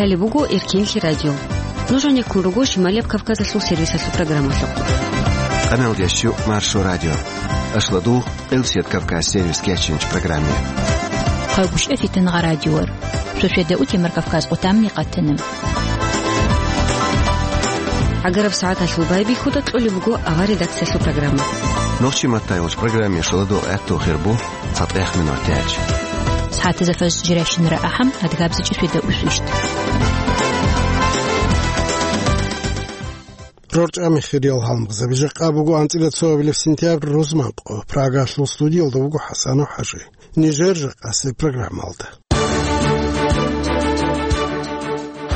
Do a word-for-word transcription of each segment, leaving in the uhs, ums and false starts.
Гьале буго Эркенлъи радио. Нуж гьанеккун руго Шималияб Кавказалъул сервисалъул программалъухъ. Къамел дящу Маршо радио. Ашладу Элсият Кавказ сервис кечинч программе. Хъайгушев Фитнагъа радиор. Шошведа утемар Кавказ къутамни къатана. Агараб сагӀаталъул байбихьуда кьолеб буго авар редакциялъул программа. Нохчи маттайолч программе шоладо гӀатту хирбу. ЦатӀехъ минутач. СагӀатазда фажр жирайщинара ахӀам, адгабзичӀи шведа усвищт. РорчӀами хириял гьалмагъзаби, жакъа буго анцӀила цоабилеб сентябрь рузманкъо. Прагалъул студиялда вуго ХӀасанов ХӀажи. Нижер жакъасеб программалда.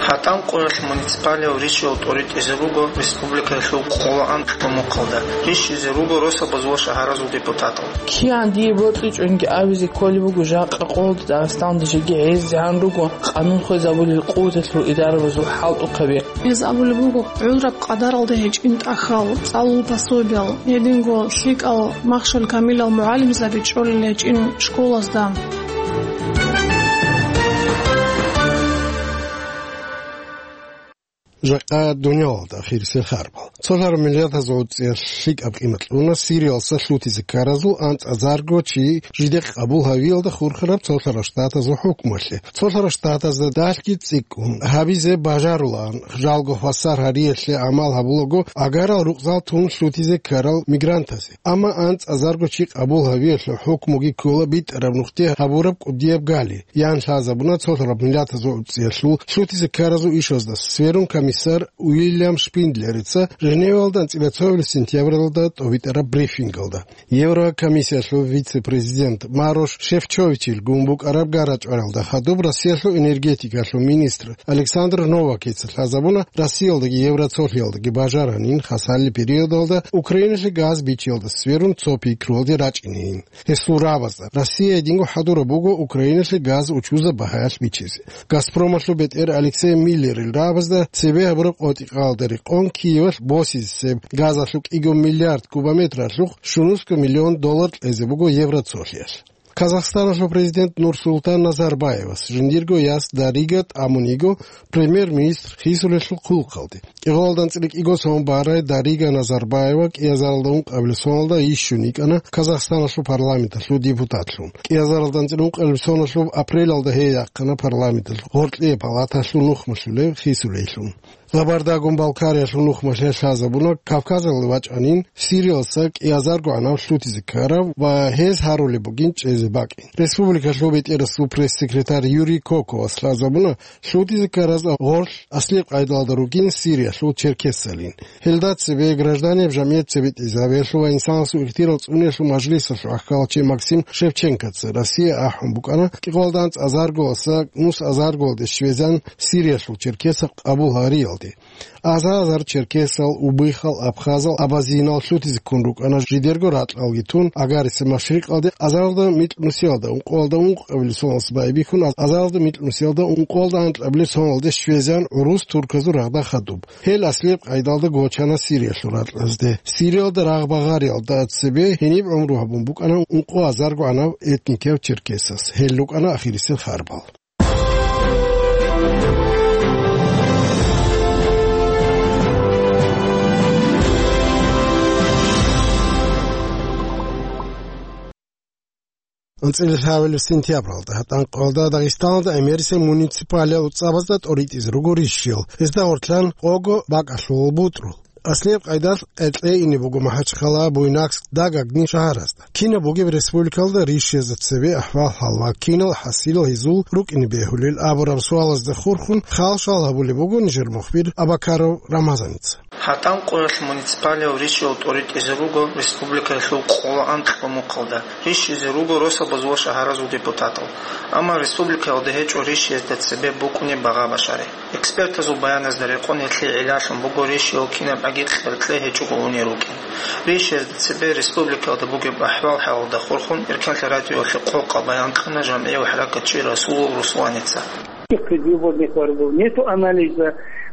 ХӀатӀан къоялъ муниципалиял ришиял тӀоритӀизе руго республикаялъул къоло анкьго мухъалда. Ришизе руго росабазул ва шагьаразул депутатал. Киян дие бокьичӀонги абизе кколеб буго жакъа къолда Дагъистанда жеги гӀезегӀан руго къанун хвезабулел къуваталъул идарабазул хӀалтӀухъаби. Гьез абулеб буго, гӀураб къадаралда гьечӀин тӀахьал, цӀалул пособиял, гьединго лъикӀал махщел камилал мугӀалимзаби чӀолел гьечӀин школазда. Жакъа дунялалда ахирисел харбал. Цолъараб миллиардазул цӀиялъ лъикӀаб къимат кьуна Сириялса лъутизе ккаразул анцӀазарго чи жидехъ къабул гьавиялда хурхараб Цолъараб Штатазул хӀукмалъе. Цолъараб Штатазда далъги цӀикӀкӀун гьабизе бажарулаан, жалго хвасар гьариялъе гӀамал гьабулаго агарал рукъзал тун лъутизе ккарал мигрантазе. Амма анцӀазарго чи къабул гьавиялъул хӀукмуги ккола битӀараб нухде гьабураб кӀудияб гали, ян лъазабуна цолъараб миллиардазул цӀиялъул лъутизе ккаразул ишазда сверун комиссар Уильям Шпиндлерица Женевалда анцӀила цоабилеб сентябралда тӀобитӀараб брифингалда. Еврокомиссиялъул вице-президент Марош Шефчовичил гун букӀараб гарачӀваралда хадуб Россиялъул энергетикалъул министр Александр Новакица лъазабуна, Россиялдаги Евроцолъиялдаги бажаранин хасалли периодалда Украиналъе газ бичиялда сверун цо пикруялде рачӀинейин. Гьесул рабазда Россия гьединго хӀадураб буго Украиналъе газ учузаб багьаялъ бичизе. Газпромалъул бетӀер Алексей Миллерил рабазда цебе гьабураб къотӀи-къалда рекъон Киевалъ босизесеб газалъул кӀиго миллиард кубометралъухъ щунусго миллион доллар кьезе буго Евроцолъиялъ. Казахстаналъул президент Нурсултан Назарбаевас жиндирго яс Дарига тӀамун йиго премьер-министр хисулелъул хъулухъалде. КӀикъоялда анцӀила кӀиго сон барай Дарига Назарбаева кӀиазаралда ункъабилеб соналда йищун йикӀана Казахстаналъул парламенталъул депутатлъун. КӀиазаралда анцӀила ункъабилеб соналъул апрелалда гьей яхъана парламенталъул гъоркье палаталъул нухмалъулев хисулейлъун. Гъабардагун Балкариялъул нухмалъе лъазабуна Кавказалде вачӀанин Сириялса кӀиазарго гӀанав лъутизе ккарав ва гьез гьарулеб бугин чӀезе бакӀин. Республикалъул бетӀерасул пресс-секретарь Юрий Коковас лъазабуна, лъутизе ккараз гъорлъ аслияб къайдалда ругин Сириялъул черкесалин. Гьелда цебе гражданиял жамгӀият цебетӀезабиялъул ва инсанасул ихтияр цӀуниялъул мажлисалъул ахкалчи Максим Шевченкоца Россия ахӀун букӀана кӀикъоялда анцӀазаргоялдаса нусазаргоялде щвезан Сириялъул черкесал къабул гьариялде. Азар-азар черкесал, убыхал, абхазал, абазинал лъутизе ккун рукӀана жидерго ракьалги тун, Агарисеб машрикъалде азаралда микьнусиялда ункъоялда ункъабилеб соналъ байбихьун, азаралда микьнусиялда ункъоялда анкьабилеб соналде щвезан гӀурус турказул рагъда хадуб. Гьел аслияб къайдалда гочана Сириялъул ракьазде. Сириялда рагъ багъариялда цебе гьениб гӀумру гьабун букӀана ункъо азарго гӀанав этникияв черкесас. Гьел рукӀана ахирисел харбал. АнцӀила лъабабилеб сентябралда гьатӀанкъоялда Дагъистаналда гӀемерисел муниципалиял цӀабазда тӀоритӀизе руго ришиял, гьезда гъорлъан къого бакӀалъул бутӀрул. Аслияб къайдалъ къеркьей ине буго МахӀачхъала, Буйнакск, Дагагни шагьаразда. Кинаб бугеб республикалда ришиязда цебе ахӀвал-хӀал ва кинал хӀасилал гьезул рукӀине бегьулел абураб суалазда хурхун хал-шал гьабулеб буго нижер мухбир Абакаров Рамазаница. ГьатӀанкъоялъ муниципалиял ришиял тӀоритӀизе руго республикаялъул къоло анкьго мухъалда. Ришизе руго росабазул ва шагьаразул депутатал. Амма республикаялда гьечӀо ришиязда цебе букӀунеб багъа башари. Экспертазул баяназда рекъон гьелъие гӀиллалъун буго ришиял кинабгӀаги къеркьей гьечӀого унел рукӀин. Ришиязда цебе республикаялда бугеб ахӀвал-хӀалалда хурхун Эркенлъи радиоялъе къокъаб баян кьуна жамгӀияв хӀаракатчи Расулов Русланица. Предвыборных борьбов, нету анализа.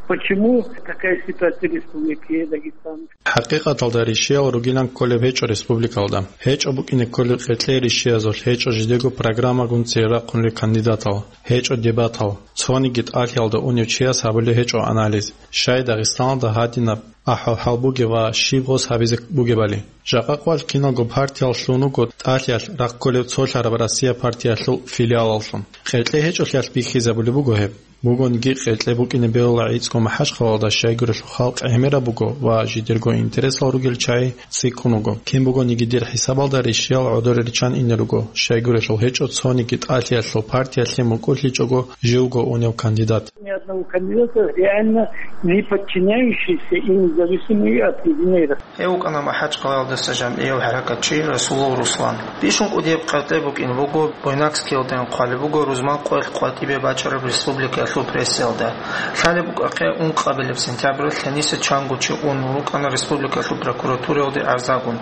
Почему такая ситуация в Республике Дагестан? ХӀакъикъаталда ришиял ругилан кколеб гьечӀо республикалда. ГьечӀо букӀине кколеб къеркьей ришиязулъ, гьечӀо жидего программагун цере рахъунел кандидатал, гьечӀо дебатал. Цониги тӀалъиялда унев чияс гьабулеб гьечӀо анализ, щай Дагъистаналда гьадинаб ахӀвал-хӀал бугеб ва щиб гъос гьабизе бугебали. Жакъа къвалъ киналго партиял лъун вуго тӀалъиялъ рахъ кколеб цолъараб Россия партиялъул филиалаллъун. Къеркьей гьечӀолъиялъ бихьизабулеб буго гьеб. Бугониги, къеркьей букӀине бегьула гӀицӀго МахӀачхъалалда, щайгурелъул халкъ гӀемераб буго ва жидерго интересал ругел чагӀи цӀикӀкӀун вуго. Кин бугониги, дир хӀисабалда ришиял гӀодор риччан ине руго, щайгурелъул гьечӀо цониги тӀалъиялъул партиялъе мукӀурлъичӀого живго унев кандидат. Ни одного кандидата, реально не подчиняющийся и независимый от единой России. Гьев вукӀана МахӀачхъалаялдаса жамгӀияв хӀаракатчи Расулов Руслан. Бищун кӀудияб къеркьей букӀин буго, Буйнакскиялдайин хъвалеб буго рузман къоялъ къватӀибе бачӀараб республикаялъул прессаялда. Лъалеб букӀахъе, ункъабилеб сентябралъ гьениса чанго чи ун рукӀана республикалъул прокуратураялде гӀарзагун.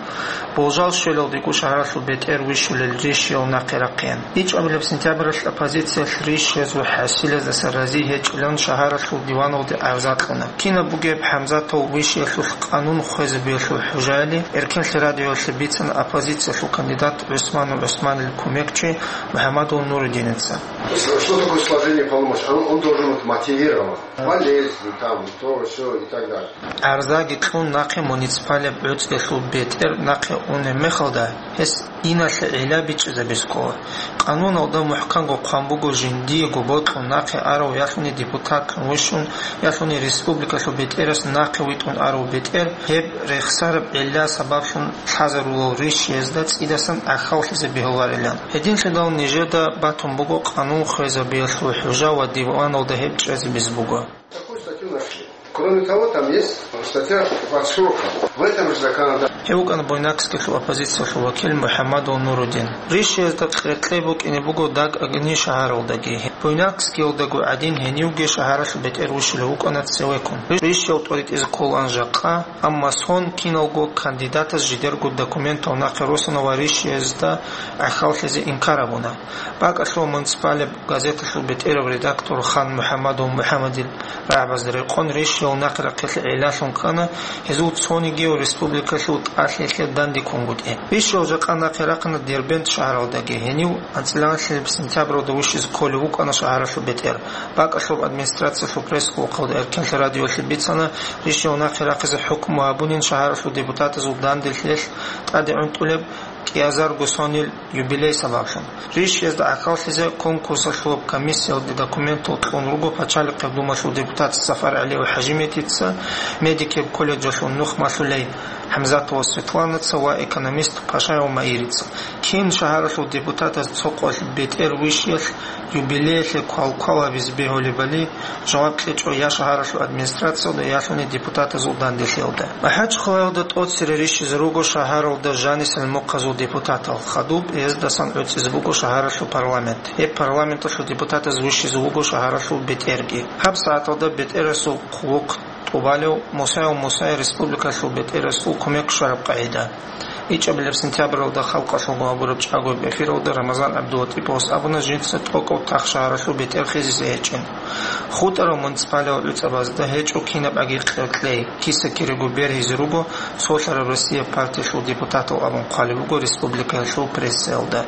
Болжал щвелалдего шагьаралъул бетӀер вищулел ришиял нахъе рахъеян. ИчӀабилеб сентябралъ оппозициялъ ришиязул хӀасилаздаса рази гьечӀилан шагьаралъул диваналде гӀарза кьуна. Кинаб бугеб ХӀамзатов вищиялъулъ къанун хвезабиялъул хӀужаялъе Эркенлъи радиоялъе бицана оппозициялъул кандидат ГӀусманов ГӀусманил кумекчи МухӀаммадов Нурудиница. Что такое сложение полномочий? Он, он должен быть мотивирован. Болезнь, там, то, всё и так далее. ГӀарзаги кьун нахъе муниципалияб гӀуцӀиялъул бетӀер нахъе унеб мехалда, гьес иналъе гӀилла бичӀчӀизабизе ккола. Къануналда мухӀканго хъван буго, жиндиего бокьун нахъе арав ялъуни депутатлъун вищун, ялъуни республикалъул бетӀерас нахъе витӀун арав бетӀер, гьеб рехсараб гӀилла сабаблъун лъазарулал ришиязда цӀидасан гӀахьаллъизе бегьуларилан. Гьединлъидал нижеда батун буго къанун хвезабиялъул хӀужа ва диваналда гьеб чӀезабизе буго. Такую статью нашли. Кроме того, там есть статья под сроком. В этом же законодательстве. Гьев вукӀана Буйнакскиялъул оппозициялъул вакил МухӀаммадов Нурудин. Ришиязда къеркьей букӀине буго даг агни шагьаралдаги. Буйнакскиялдаго гӀадин гьенивги шагьаралъул бетӀер вищулев вукӀана цевеккун. Ришиял тӀоритӀизе кколаан жакъа, амма сон киналго кандидатас жидерго документал нахъе росана ва ришиязда гӀахьаллъизе инкар гьабуна. БакӀалъув муниципалияб газеталъул бетӀерав редактор Хан МухӀаммадов МухӀаммадил рагӀабазда рекъон ришиял нахъе рахъиялъе гӀиллалъун ккана гьезул цонигияв республикалъул тӀалъиялъе дандеккунгутӀи. Ришиял жакъа нахъе рахъана Дербент шагьаралдаги, гьенив анцӀила сентябралда вищизе кколев вукӀана шагьаралъул бетӀер. БакӀалъуб администрациялъул пресс-клубалда Эркенлъи радиоялъе бицана, ришиял нахъе рахъизе хӀукму гьабунин шагьаралъул депутатазул данделъиялъ тӀаде гӀунтӀулеб кӀиазарго сонил юбилей сабаблъун. Ришиязда гӀахьаллъизе конкурсалъулаб комиссиялде документал кьун руго Пачалихъеб Думалъул депутат СафаргӀалиев ХӀажимедица, медикеб колледжалъул нух малъулей ХӀамзатова Светланаца ва экономист Пашаев Маирица. Кин шагьаралъул депутатаз цо къоялъ бетӀер вищиялъ юбилеялъе квалквал гьабизе бегьулебали жаваб кьечӀо я шагьаралъул администрациялда, ялъуни депутатазул данделъиялда. МахӀачхъалаялда тӀоцере рищизе руго шагьаралда жанисел мухъазул депутатал, хадуб гьездасан гӀуцӀизе буго шагьаралъул парламент. Гьеб парламенталъул депутатаз вищизе вуго шагьаралъул бетӀерги. Гьаб сагӀаталда бетӀерасул хъулухъ тӀубалев Мусаев Мусай республикалъул бетӀерасул кумек щвараб къагӀида. ИчӀабилеб сентябралда халкъалъулго гьабураб чӀагояб эфиралда Рамазан ГӀабдулатӀиповас абуна жинца тӀокӀав тах шагьаралъул бетӀер хизизе гьечӀин. ХутӀарал муниципалияб гӀуцӀабазда гьечӀо кинаб аги къеркьей, киса-кирего бергьизе руго солъараб Россия партиялъул депутатал абун хъвалеб буго республикаялъул прессаялда.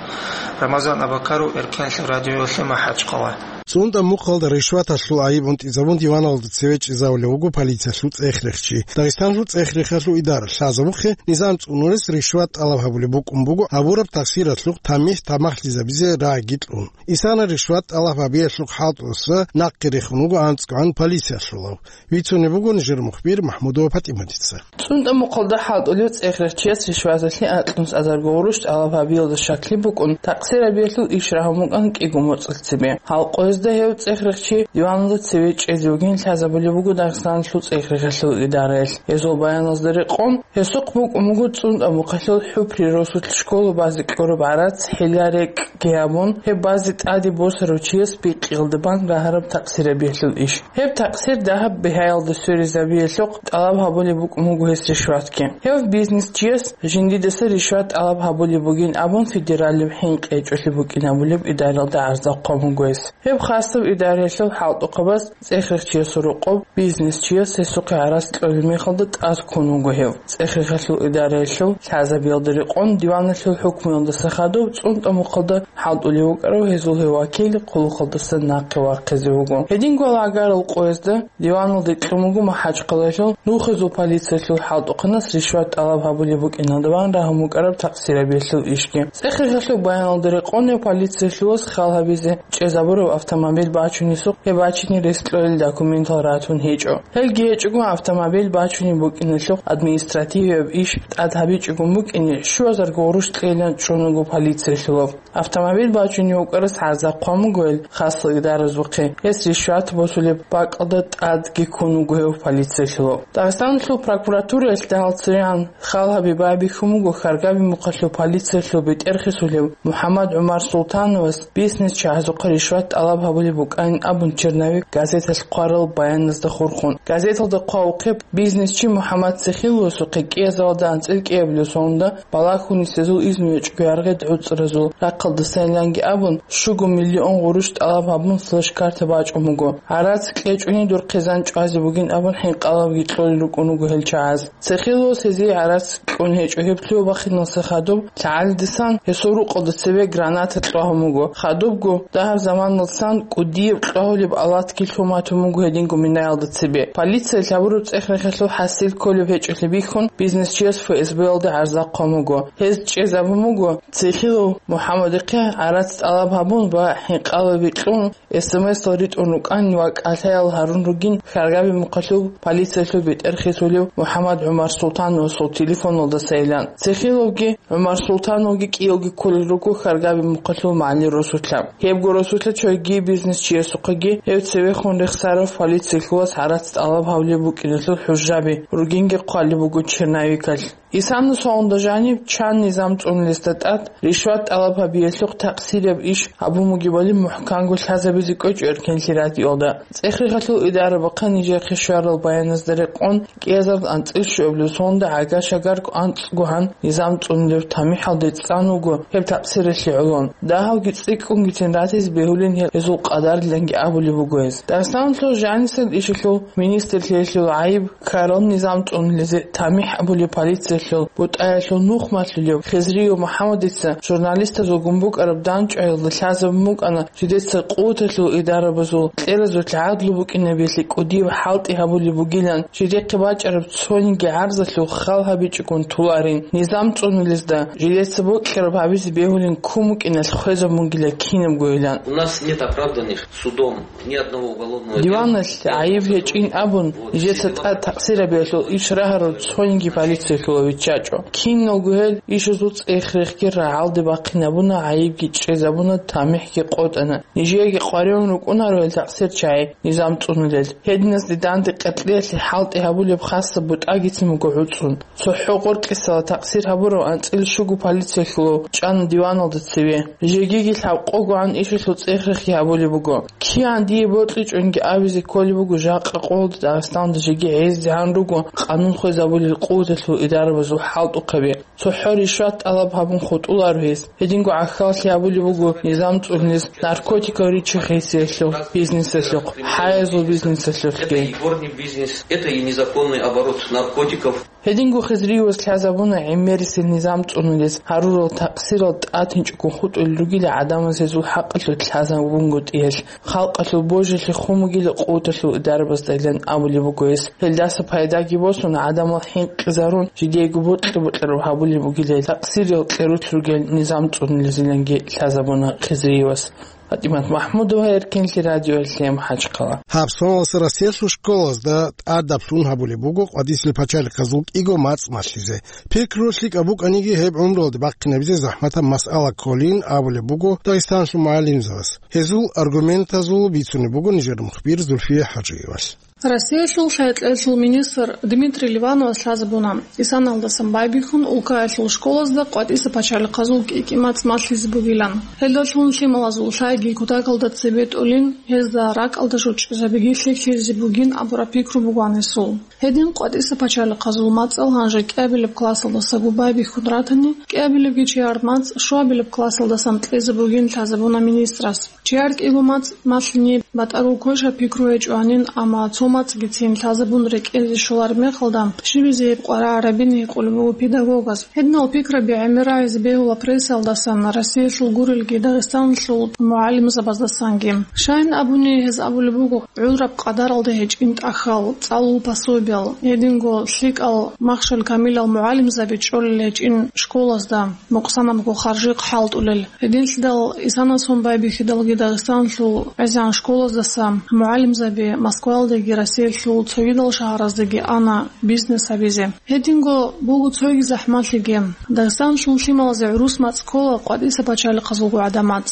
Рамазан Абакаров, Эркенлъи радиоялъе, МахӀачхъала. ЦӀунтӀа мухъалда ришваталъул гӀайиб унтӀизабун диваналда цеве чӀезавулев вуго полициялъул цӀехрехчи. Дагъистаналъул цӀехрехалъул идара лъазабухъе, низам цӀунурес ришват тӀалаб гьабулеб букӀун буго абураб тахсиралъухъ тамихӀ тамахлъизабизе рагӀиги кьун. Исана ришват тӀалаб гьабиялъухъ хӀалтӀуса нахъе рехун вуго анцӀгогӀан полициялъулав. Вицунеб буго нижер мухбир МахӀмудова ПатӀиматица. ЦӀунтӀа мухъалда хӀалтӀулев цӀехрехчияс ришваталъе акьнус азарго гъурущ тӀалаб гьабиялда щаклъи букӀун, такъсирабиялъул иш рагьун букӀан кӀиго моцӀалъ цебе. Гьалкъоязда гьев цӀехрехчи диваналда цеве чӀезавугин лъазабулеб буго Дагъистаналъул цӀехрехалъул идараялъ. Гьезул баяназда рекъон, гьесухъ букӀун буго цӀунтӀа мухъалъул ХӀупри росулъ школа базе кьураб гӀарац, хӀила-рекӀкӀги гьабун, гьеб базе тӀаде босарав чияс бикъиялда бан рагьараб такъсирабиялъул иш. Гьеб такъсир дагьаб бигьаялда сверизабиялъухъ тӀалаб гьабулеб букӀун буго гьес ришватги. Гьев бизнесчияс жиндидаса ришват тӀалаб гьабулеб бугин абун федералияб хӀинкъи гьечӀолъи букӀин абулеб идаралда гӀарза хъван буго гьес. Гьеб Хасаб идараялъул хӀалтӀухъабаз цӀехрехъ чиясул рокъоб бизнесчияс гьесухъе гӀарац кьолеб мехалда тӀад ккун вуго гьев. ЦӀехрехъалъул идараялъул лъазабиялда рекъон диваналъул хӀукмуялдаса хадуб цӀунтӀа мухъалда хӀалтӀулев вукӀарав гьезул гьев вакил хъулухъалдаса нахъе вахъизе вуго. Гьединго гӀагарал къоязда диваналде кьун вуго МахӀачхъалаялъул нухизул полициялъул хӀалтӀухъанас ришват тӀалаб гьабулеб букӀиналда бан рагьун букӀараб такъсирабиялъул ишги. ЦӀехрехъалъул баяналда рекъон гьев полициялъулас хал гьабизе чӀезабураб автомобиль бачунесухъ гьеб бачине рес кьолел документал ратун гьечӀо. Гьелги гьечӀого автомобиль бачунеб букӀиналъухъ административияб иш тӀад гьабичӀого букӀине щуазар гъурущ кьейилан чӀун вуго полициялъулав. Автомобиль бачунев вукӀарас гӀарза хъван буго гьел хасал идаразухъе, гьес ришват босулеб бакӀалда тӀадги ккун вуго гьев полициялъулав. Дагъистаналъул прокуратураялъ дагьал церегӀан хал гьаби байбихьун буго Хьаргаби мухъалъул полициялъул бетӀерхисулев МухӀаммад ГӀумар Султановас бизнесчагӀазухъа ришват тӀалаб гьабулеб букӀанин абун черновик газеталъ хъварал баяназда хурхун. Газеталда хъвавухъе, бизнесчи МухӀаммад Цехиловасухъе кӀиазалда анцӀил кӀиабилеб соналда балагьун нилъезул изну гьечӀого яргъи гӀуцӀразул рахъалдасайиланги абун, щуго миллион гъурущ тӀалаб гьабун, флеш-карта бачӀун буго. ГӀарац кьечӀони дур хъизан чӀвазе бугин абун, хӀинкъалабги кьолел рукӀун руго гьел чагӀаз. Цехиловас гьезие гӀарац кьун гьечӀо, гьеб лъугьа-бахиналдаса хадуб лъагӀалидасан гьесул рукъалда цебе граната кьвагьун буго. Хадубго, дагьаб заманалдасан кӀудияб кьвагьулеб алатги лъун батун буго гьединго минаялда цебе. Полициялъ гьабураб цӀехрехъалъул хӀасил кколеб гьечӀолъи бихьун, бизнесчияс ФСБ-ялда гӀарза хъван буго. Гьез чӀезабун буго Цехилов МухӀаммадихъе гӀарац тӀалаб гьабун ва хӀинкъалаби кьун, СМС-ал ритӀун рукӀанин ва кӀалъаял гьарун ругин Хьаргаби мухъалъул полициялъул бетӀерхисулев МухӀаммад ГӀумар Султановасул телефоналдасайилан. Цехиловги ГӀумар Султановги кӀиявги кколел руго Хьаргаби мухъалъул магӀали росулъа. Гьебго росулъа цоги бизнесчиясухъеги гьев цевехун рехсарав полициялъулас гӀарац тӀалаб гьавлеб букӀиналъул хӀужаби ругинги хъвалеб буго черновикалъ. Исана соналда жаниб чан низам цӀунулесда тӀад ришват тӀалаб гьабиялъухъ такъсираб иш гьабун бугебали мухӀканго лъазабизе кӀвечӀо эркенлъи радиоялда. ЦӀехрехъалъул идарабахъа нижехъе щварал баяназда рекъон, кӀиазарда анцӀил щуабилеб соналда гӀага-шагарго анцӀго гьан низам цӀунулеб тамихӀалде цӀан вуго гьеб такъсиралъе гӀолон. Дагьавги цӀикӀкӀунгицин ратизе бегьулин гьел гьезул къадариланги абулеб буго гьез. Дагъистаналъул жанисел ишалъул министрлъиялъул гӀайиб ккарал низам цӀунулезе тамихӀ абулеб полициялъул бутӀаялъул нух малъулев Хизриев МухӀаммадица журналистазул гун букӀараб дандчӀваялда лъазабун букӀана, жидеца къуваталъул идарабазул кьеразулъ гӀадлу букӀинабиялъе кӀудияб хӀалтӀи гьабулеб бугилан, жидехъе бачӀараб цониги гӀарзалъул хал гьабичӀогун туларин, низам цӀунулезда жидеца бокьараб гьабизе бегьулин ккун букӀиналъ хвезабунгила кинабгойилан. У нас нет оправданных судом ни одного уголовного дела. Диваналъ гӀайиб гьечӀин абун, нижеца тӀад такъсирабиялъул иш рагьарав цониги полициялъула виччачӀо. Киналго гьел ишазул цӀех-рехги рагӀалде бахъинабуна, гӀайибги чӀезабуна, тамихӀги къотӀана. Нижееги къваригӀун рукӀунаро гьел такъсирчагӀи низам цӀунулел. Гьединазде данде къеркьеялъе хӀалтӀи гьабулеб хасаб бутӀагицин буго гӀуцӀун. ЦохӀо гъоркьисала такъсир гьабурав анцӀил щуго полициялъулав чӀана диваналда цеве. Жегиги лъабкъогогӀан ишалъул цӀех-рехги гьабулеб буго. КигӀан дие бокьичӀонги абизе кколеб буго жакъа къоялда Дагъистанда жеги гӀездегӀан руго къанун хвезабулел къуваталъул идарабазул хӀалтӀухъаби. ЦохӀо ришват тӀалаб гьабун хутӀуларо гьес. Гьединго гӀахьаллъи гьабулеб буго низам цӀунулез наркотикал ричи-хисиялъул бизнесалъухъ, хӀаязул бизнесалъухъги. Это и горный бизнес, это и незаконный оборот наркотиков. Гьединго Хизриевас лъазабуна гӀемерисел низам цӀунулез гьарурал такъсирал тӀатинчӀого хутӀулел ругила гӀадамаз гьезул хӀакъалъулъ лъазабунгутӀи гьелъ. Халкъалъул божилъи хун бугила къуваталъул идарабаздайилан абулеб буго гьес. Гьелдаса пайдаги босун, гӀадамал хӀинкъизарун, жидеего бокьа-бокьараб гьабулеб бугила гьел такъсирал кьерулъ ругел низам цӀунулезиланги лъазабуна Хизриевас. ПатӀимат МахӀмудова, Эркенлъи радиоялъе, МахӀачхъала. Гьаб соналдаса Россиялъул школазда тӀадаб лъун гьабулеб буго къватӀисел пачалихъазул кӀиго мацӀ малъизе. Пикру лъикӀаб букӀаниги, гьеб гӀумруялде бахъинабизе захӀматаб масъала кколин абулеб буго Дагъистаналъул мугӀалимзабаз. Гьезул аргументазул бицунеб буго нижер мухбир Зульфия ХӀажиевалъ. Россиялъул лъай-кьеялъул министр Дмитрий Ливановас лъазабуна, исаналдасан байбихьун улкаялъул школазда къватӀиса пачалихъазул кӀи-кӀи мацӀ малъизе бугилан. Гьелдалъун лъималазул лъайги кутакалда цебетӀулин, гьезда ракӀалда жо чӀезабиги лъикӀлъизе бугин абураб пикру буго гьанисул. Гьедин къватӀиса пачалихъазул мацӀал гьанже кӀиабилеб классалдасаго байбихьун ратани, кӀиабилебги чияр мацӀ щуабилеб классалдасан кьезе бугин лъазабуна министрас. Чияр кӀиго мацӀ малъине батӀаго квеша пикру гьечӀо гьанин, амма цо мацӀгицин лъазабун рекӀелде щолареб мехалда, щибизе гьеб къваригӀарабин гьикъулеб буго педагогас. Гьединал пикраби гӀемерайизе бегьула прессалдасан, Россиялъул гурелги Дагъистаналъул мугӀалимзабаздасанги. Щайин абуни, гьез абулеб буго, гӀураб къадаралда гьечӀин тӀахьал, цӀалул пособиял, гьединго лъикӀал махщел камилал мугӀалимзаби чӀолел гьечӀин школазда мукъсанабго харжихъ хӀалтӀулел. Гьединлъидал исанасун байбихьидалги Дагъистаналъул гӀезегӀан школаздаса мугӀалимзаби Москваялдаги Россиялъул цогидал шагьараздаги ана бизнес гьабизе. Гьединго буго цоги захӀмалъиги. Дагъистаналъул лъималазе гӀурус мацӀ ккола къватӀиса пачалихъазулго гӀадамал.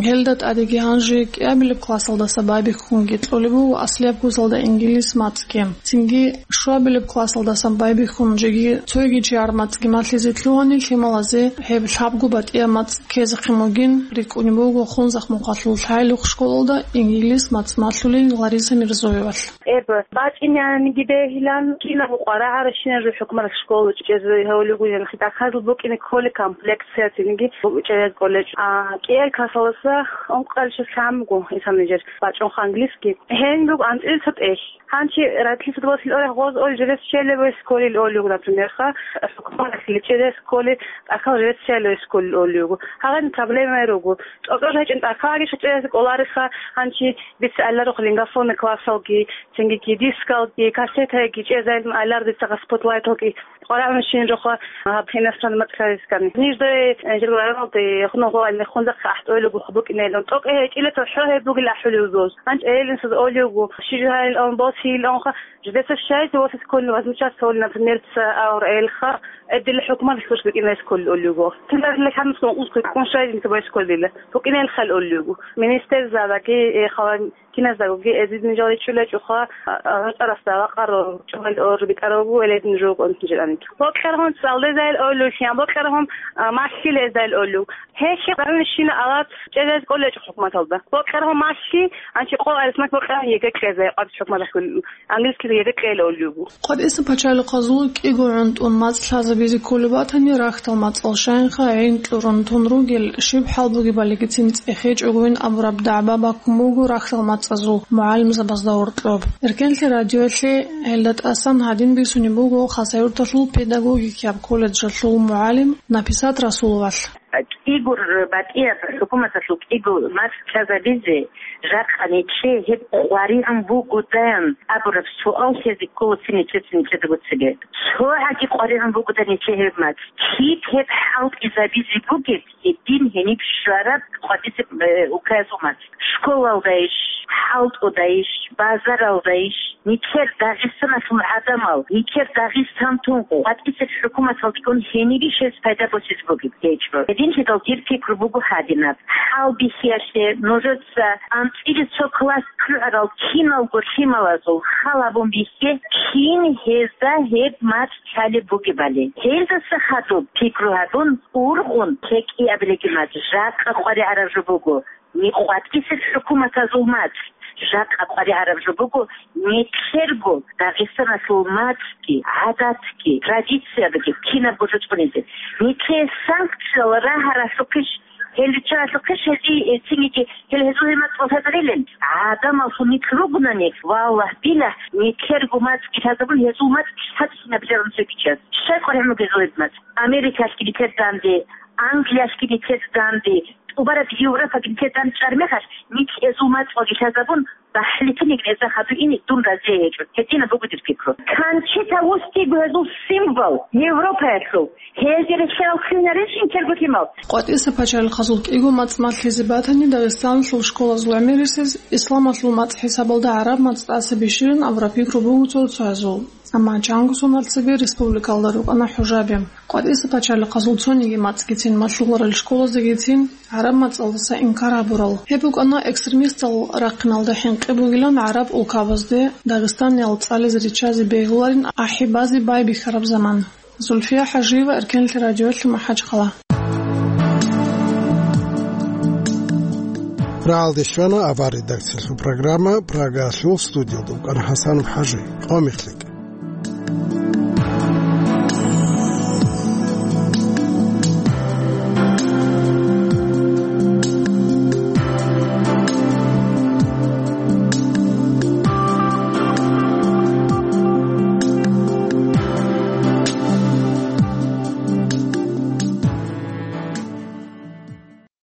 Гьелда тӀадеги гьанже кӀиабилеб классалдаса байбихьунги кьолеб буго аслияб ккузалда инглис мацӀги. Цинги щуабилеб классалдасан байбихьун жеги цоги чияр мацӀги малъизе лъугьани, лъималазе гьеб лъабго батӀияб мацӀ ккезехъин бугин рикӀкӀунеб буго Хунзахъ мухъалъул Лъайлухъ школалда инглис мацӀ малъулел Лариса Мирзоевалъ. Эб, бачӀинеанги бегьилан, кинаб къваригӀаращинаб жо хӀукуматалъ школа чӀезе гьавулев гуян, хитӀахъазул букӀине кколеб комплектцияцинги чӀезе кколечӀо. А, кӀиабилеб классалдаса ункъабилеб чияс лъан буго исана нижер бачӀунха английский. Гьениб буго анцӀила цо тӀехь. Гьанчи радлъиса досил орех гъоз олел жидес щелеб ой сколил олиуго, например, ха, хӀукуматалъ лечӀезе сколил, тӀахьал жидес щелеб ой сколил олиуго. Гьагъани проблема руго. ТӀокӀаб гьечӀин тӀахьал гьагичӀ чӀезе кӀолариха, гьанчи бициаларухъ лингафонный классалги, цинги дискалги, кассетаги чӀезайилан айлар дица спотлайталги къваригӀунщин жоха гьаб иностранный мацӀ ккарискани. Нижда, э, жил районалда, э, хунугъо ай мехунзахъ ахӀтӀойлугу хъубукӀинелун. ТӀокӀ гьечӀила цохӀо гьеб бугил ахӀулев зоз. ГьанчӀ эйлинсаз олиугу, щижигьайилан, босийиланха, жидеца щайзи восес кколин возмущаться гьолин, например, ца авр элха, эдила хӀукумат служба кӀинайс кколин олиугу. Тиларила хӀамус узкой ккун щайзи инса байс кколила. БукӀинел хал олиугу. Министерзадаги, э, хала Киназдаго эзидин жал ричӀулечӀоха, а, а, гьоркьарасда вакъаро чӀугӀел ор битӀарабу, веледин жугъун жиранит. Бокьаргьун цӀалдезайил олулъян, бокьаргьун, а, малъилезайил олу. Гьелъи къарнишина алат чӀезез кӀолечӀо хӀукуматалда. Бокьаргьун малъи, анчи къо арисмат бокьаргьун еге кьезай къварц хӀукуматалъ английскизе еге кьел олу. КъватӀиса пачалихъазул кӀиго гӀунтӀун мацӀ лъазабизе кколеб батани, рахьдал мацӀал щайинха гӀин кьурун тун ругел, щиб хӀал бугебали гицин цӀехечӀогойин абураб дагӀба баккун буго рахьдал мацӀазул мугӀалимзабазда гьоркьоб. Эркенлъи радиоялъе гьелда тӀасан гьадин бицунеб буго Хасавюрталъул педагогикияб колледжалъул мугӀалим Написат Расуловалъ. КӀигур батӀияб хӀукуматалъул кӀигу мацӀ лъазабизе жакъа нилъее гьеб къваригӀун бугодан абураб суал лъезе ккола цин нилъеца нилъеда буцебе. ЦогӀаги къваригӀун бугодан нилъее гьеб мацӀ. Киб гьеб хӀалтӀизабизе бугеб гьедин гьениб щвараб къватӀисеб, э, улкаязул мацӀ? Школалдайищ, хӀалтӀудайищ, базаралдайищ? Нилъер Дагъистаналъул гӀадамал, нилъер Дагъистан тун къватӀисеб хӀукуматалдегун гьенибищ гьез пайда босизе бугеб? ГьечӀо. Гьединлъидал дир пикру буго гьадинаб. ХӀалбихьиялъе нужеца анцӀила цо класс ккугӀарал киналго лъималазул хал гьабун бихье, кин гьезда гьеб мацӀ лъалеб бугебали. Гьелдаса хадуб пикру гьабун, ургъун, кӀиабилебги мацӀ жакъа къваригӀараб жо буго. Ни къватӀисеб хӀукуматазул мацӀ жакъа къваригӀараб жо буго, нилъерго Дагъистаналъул мацӀги, гӀадатги, традициябги кинабго жо цӀунизе. Нилъее санкциял рагьаралъухъищ, гьел риччаралъухъищ гьезие эцинги, гьел гьезул гьел мацӀ лъазарилан? ГӀадамаллъун нилъ ругунани, валлагь-билагь, нилъерго мацӀги лъазабун, гьезул мацӀ лъазабунаб жо гьечӀо. Щай къваригӀун буго гьезул гьеб мацӀ? Америкалъги нилъер данде, Англиялъги нилъер данде, тӀубараб Европаги нилъер данде чӀараб мехалъ, нилъ гьезул мацӀалги лъазабун, бахӀлитинеги гьезда хадур ине дун разие гьечӀо. Гьединаб буго дир пикру. Канчита вустиго гьезул символ Европаялъул. Гьезде релълъарал ккунарищ нилъерго лъимал? КъватӀиса пачалихъазул кӀиго мацӀ малъизе батани, Дагъистаналъул школазул гӀемерисез исламалъул мацӀ хӀисабалда гӀараб мацӀ тӀаса бищилин абураб пикру буго цо-цоязул. Амма чанго соналъ цебе республикалда рукӀана хӀужаби. КъватӀиса пачалихъазул цониги мацӀгицин малъуларел школаздагицин гӀараб мацӀалдаса инкар гьабурал. Гьеб букӀана экстремистал рахъиналда хӀинкъи бугилан гӀараб улкабазде Дагъистаниял цӀализе риччазе бегьуларин ахӀи базе байбихьараб заман. Зульфия ХӀажиева, Эркенлъи радиолъи, МахӀачхъала. РагӀалде щвана авар редакциялъул программа, Прагалъул студиялда вукӀана ХӀасан ХӀажи. Къо мехлъи.